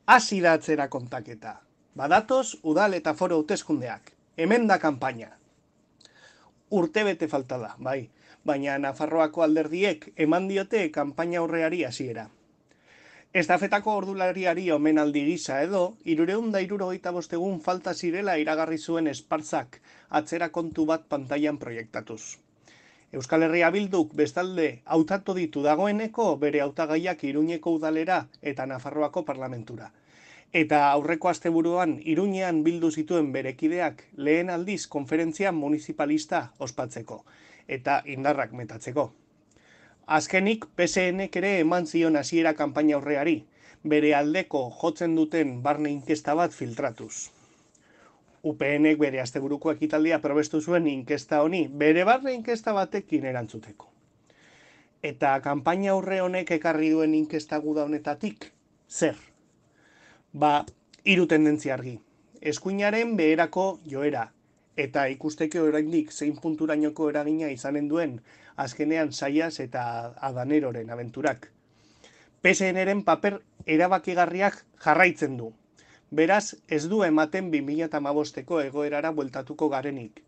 Hasi da atzera kontaketa. Badatoz, udal eta foro hauteskundeak. Hemen da kanpaina. Urtebete falta da, bai. Baina Nafarroako alderdiek eman diote kanpaina aurreari hasiera. Estafetako ordulariari omenaldi gisa edo, 375 egun falta zirela iragarri zuen Espartzak atzera kontu bat pantailan proiektatuz. Euskal Herria Bilduk bestalde hautatu ditu dagoeneko bere hautagaiak Iruñeko udalera eta Nafarroako parlamentura. Eta aurreko asteburuan Iruñean bildu zituen bere kideak lehen aldiz konferentzia municipalista ospatzeko eta indarrak metatzeko. Azkenik PSNek ere eman zion hasiera kanpaina aurreari, bere aldeko jotzen duten barne inkesta bat filtratuz. UPNek bere asteburuko ekitaldia probestu zuen inkesta honi, bere barne inkesta batekin erantzuteko. Eta kanpaina aurre honek ekarri duen inkesta guda honetatik, zer? Hiru tendentzia argi. Eskuinaren beherako joera, eta ikusteke oraindik zein punturainoko eragina izanen duen azkenean Saias eta Adaneroren abenturak. PSNren paper erabakigarriak jarraitzen du. Beraz, ez du ematen 2015ko egoerara bueltatuko garenik.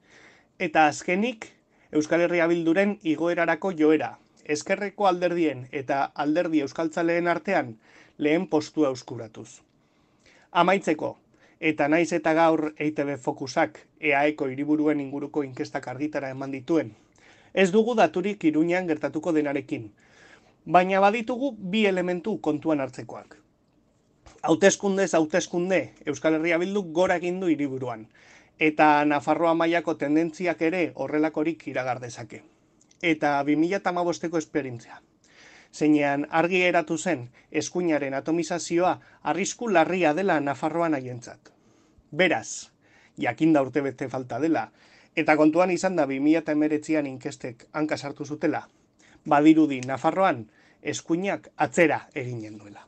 Eta azkenik, Euskal Herria Bilduren igoerarako joera, ezkerreko alderdien eta alderdi euskaltzaleen artean lehen postua euskuratuz. Amaitzeko, eta naiz eta gaur EITB Fokusak EAEko hiriburuen inguruko inkestak argitara eman dituen, ez dugu daturik Iruñean gertatuko denarekin, baina baditugu bi elementu kontuan hartzekoak. Hauteskundez hauteskunde Euskal Herria Bilduk gora egin du hiriburuan, eta Nafarroa mailako tendentziak ere horrelakorik iragar dezake. Eta 2015ko esperientzia. Zeinean argi geratu zen eskuinaren atomizazioa arrisku larria dela Nafarroan haientzat. Beraz, jakinda urtebete falta dela, eta kontuan izan da 2019an inkestek hanka sartu zutela, badirudi Nafarroan eskuinak atzera eginen duela.